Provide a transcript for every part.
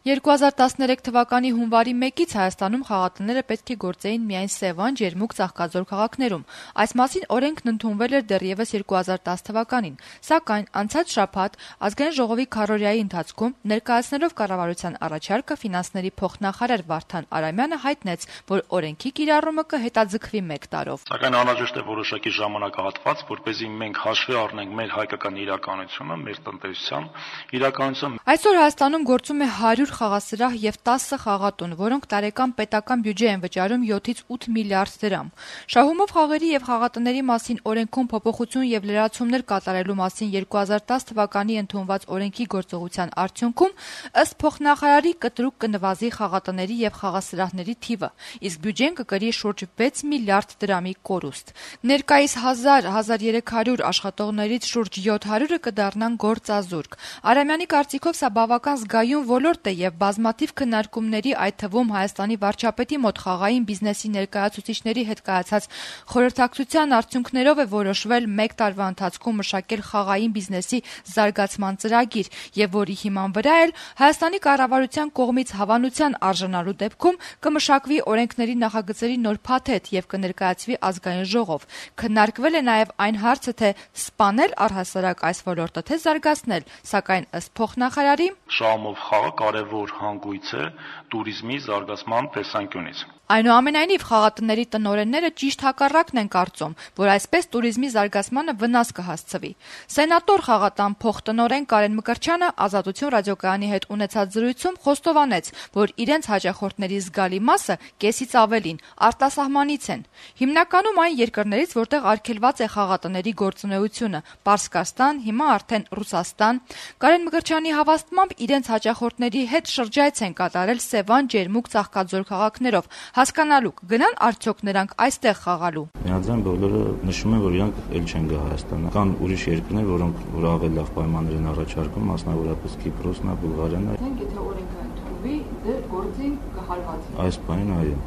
2013 թվականի հունվարի 1-ից Հայաստանում խաղատները պետք է գործեին միայն Սևան, Ջերմուկ, Ծաղկաձոր քաղաքներում։ Այս մասին օրենքն ընդունվել էր դեռևս 2010 թվականին, սակայն անցած շաբաթ Ազգային ժողովի քառօրյայի ընթացքում ներկայացնելով կառավարության առաջարկը ֆինանսների փոխնախարար Վարդան Արամյանը հայտնեց, որ օրենքի կիրառումը կհետաձգվի 1 տարով։ Սակայն անհրաժեշտ է որոշակի ժամանակահատված, որպեսզի մենք հաշվի առնենք մեր հայկական իրականությունը, մեր տնտեսության իրականությունը։ Այսօր Հայաստանում գործում է 100 խաղասրահ եւ 10 խաղատուն, որոնք տարեկան պետական բյուջե են վճարում 7-ից 8 միլիարդ դրամ։ Շահումով խաղերի եւ խաղատների մասին օրենքում փոփոխություն եւ լրացումներ կատարելու մասին 2010 թվականի ընդունված օրենքի գործողության արդյունքում ըստ փոխնախարարի կտրուկ կնվազի խաղատների եւ խաղասրահների թիվը, իսկ բյուջեն կկրի շուրջ 6 միլիարդ դրամի կորուստ։ Ներկայիս 1000-1300 աշխատողներից շուրջ 700-ը կդառնան գործազուրկ։ Արամյանի կարծիքով սա բավական զգայուն ոլորտ է եւ բազմաթիվ քննարկումների, այդ թվում Հայաստանի վարչապետի մոտ խաղային բիզնեսի ներկայացուցիչների հետ կայացած խորհրդակցության արդյունքներով է որոշվել 1 տարվա ընթացքում մշակել խաղային բիզնեսի զարգացման ծրագիր եւ որի հիման վրա էլ Հայաստանի կառավարության կողմից հավանության արժանալու դեպքում կմշակվի օրենքների նախագծերի նոր փաթեթ եւ կներկայացվի ազգային ժողով։ Քննարկվել է նաեւ այն հարցը, թե սպանել առհասարակ այս ոլորտը, թե զարգացնել, սակայն ըստ փոխնախարարի Շահումով խաղը կարևոր հանգույց է туриզմի զարգացման տեսանկյունից։ Այնուամենայնիվ խաղատների տնօրենները ճիշտ հակառակն են կարծում, որ այսպես туриզմի զարգացմանը վնաս կհասցվի։ Սենատոր խաղատան փոխտնօրեն Կարեն Մկրտչյանը Ազատություն ռադիոկայանի հետ ունեցած զրույցում խոստովանեց, որ իրենց հաճախորդների զգալի մասը կեսից ավելին արտասահմանից են։ Հիմնականում այն երկրներից, որտեղ արգելված է խաղատների գործունեությունը՝ Պարսկաստան, հիմա արդեն Ռուսաստան։ Կարեն Մկրտչյանի հավաստմամբ իրենց հաճախորդների հետ շրջայց են կատարել Սևան, Ջերմուկ, Ծաղկաձոր քաղաքներով, հասկանալու կգնան արդյոք նրանք այստեղ խաղալու։ Միաձայն բոլորը նշում են, որ իրանք էլ չեն գա Հայաստան։ Կան ուրիշ երկրներ, որոնք որ ավելի լավ պայմաններ են առաջարկում, մասնավորապես Կիպրոսն է, Բուլղարիան է։ Եթե օրենքը ընդունվի, դե գործին կհարվածի։ Այս բանին այո։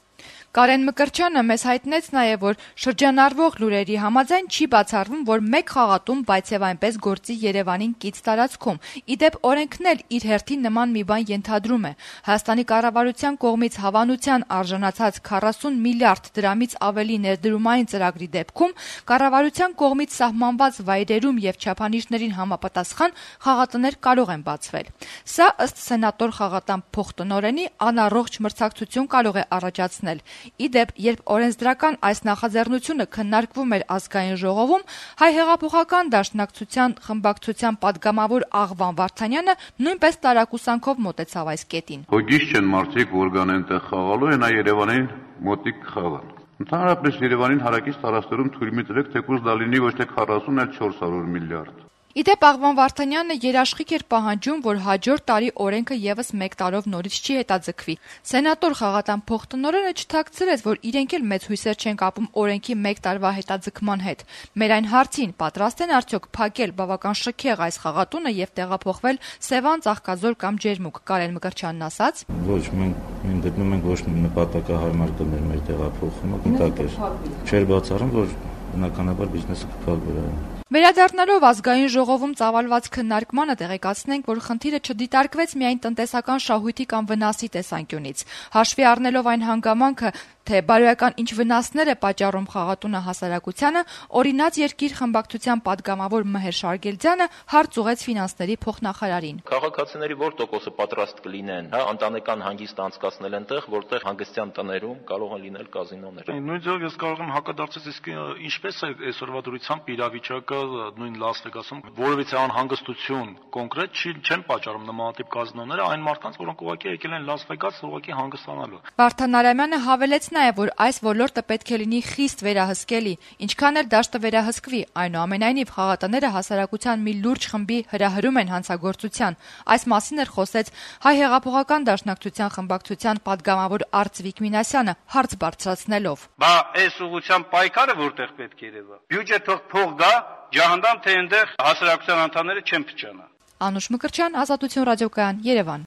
Կարեն Մկրտչյանը մեզ հայտնեց նաև, որ շրջանառվող լուրերի համաձայն չի բացառվում, որ 1 խաղատում, բայց եւ այնպես գործի Երևանին կից տարածքում։ Իդեպ օրենքն էլ իր հերթին նման մի բան ենթադրում է։ Հայաստանի կառավարության կողմից հավանության արժանացած 40 միլիարդ դրամից ավելի ներդրումային ծրագրի դեպքում կառավարության կողմից սահմանված վայրերում եւ չափանիշներին համապատասխան խաղատներ կարող են բացվել։ Սա ըստ սենատոր խաղատան փոխտնօրենի անառողջ մրցակցություն կարող է առաջացնել։ Իդեպ, երբ օրենսդրական այս նախաձեռնությունը քննարկվում էր ազգային ժողովում, Հայ հեղափոխական դաշնակցության խմբակցության падգամավոր Աղվան Վարդանյանը նույնպես տարակուսանքով մոտեցավ այս կետին։ Հոգիս չեն մարդիկ, որ գան այնտեղ խաղալու, այնա Երևանին մոտիկ խաղան։ Ընդհանրապես Երևանին հարակից տարածքներում թույլ մի տվեք, թեկուզ դա լինի ոչ թե 40, այլ 400 միլիարդ։ Իդեպ Աղվան Վարդանյանը երաշխիք էր պահանջում, որ հաջորդ տարի օրենքը եւս 1 տարով նորից չի հետաձգվի։ Սենատոր խաղատան փոխտնօրենը չթաքցրեց, որ իրենք էլ մեծ հույսեր չեն կապում օրենքի 1 տարվա հետաձգման հետ։ Մեր այն հարցին պատրաստ են արդյոք փակել բավական շքեղ այս խաղատունը եւ տեղափոխվել Սևան, Ծաղկաձոր կամ Ջերմուկ, Կարեն Մկրտչյանն ասաց։ Ոչ, մենք գտնում ենք ոչ նպատակահարմար կներ մեր տեղափոխումը, կտակ էր։ Չէր բացառում, որ բնականաբար բիզնեսը կփակվի։ Վերադառնալով ազգային ժողովում ծավալված քննարկմանը տեղեկացնենք, որ խնդիրը չդիտարկվեց միայն տնտեսական շահույթի կամ վնասի տեսանկյունից։ Հաշվի առնելով այն հանգամանքը, թե բարոյական ինչ վնասներ է պատճառում խաղատունը հասարակությանը, օրինաց երկիր խմբակցության падգամավոր Մհեր Շարգելձյանը հարց ուղեց ֆինանսների փոխնախարարին։ Քաղաքացիների որ տոկոսը պատրաստ կլինեն, ընտանեկան հանգիստ անցկացնել այնտեղ, որտեղ հանգստյան տներում կարող են լինել կազինոներ։ Նույն ձևով ես կարող եմ հակադարձել, իսկ ինչպես է այսօրվա դրությամբ իրավիճակը նույն Լաս Վեգասում որևիցե անհանգստություն կոնկրետ չեն պատճառում նմանատիպ կազինոները այն մարդկանց, որոնք ուղղակի եկել են Լաս Վեգաս ուղղակի հանգստանալու։ Վարդան Արամյանը հավելեց նաև, որ այս ոլորտը պետք է լինի խիստ վերահսկելի, ինչքան էլ դաշտը վերահսկվի, այնուամենայնիվ խաղատները հասարակության մի լուրջ խմբի հրահրում են հանցագործության։ Այս մասին էր խոսեց Հայ հեղափոխական դաշնակցության խմբակցության падգամավոր Արծվիկ Մինասյանը հարց բարձրացնելով։ Բա այս ուղղությամբ պայքարը որտեղ պետք է երևա։ Բյուջե թող գա, ջահանդամ թե այնտեղ հասարակության անդամները չեն փչանա։ Անուշ Մկրտչյան, Ազատություն ռադիոկայան, Երևան։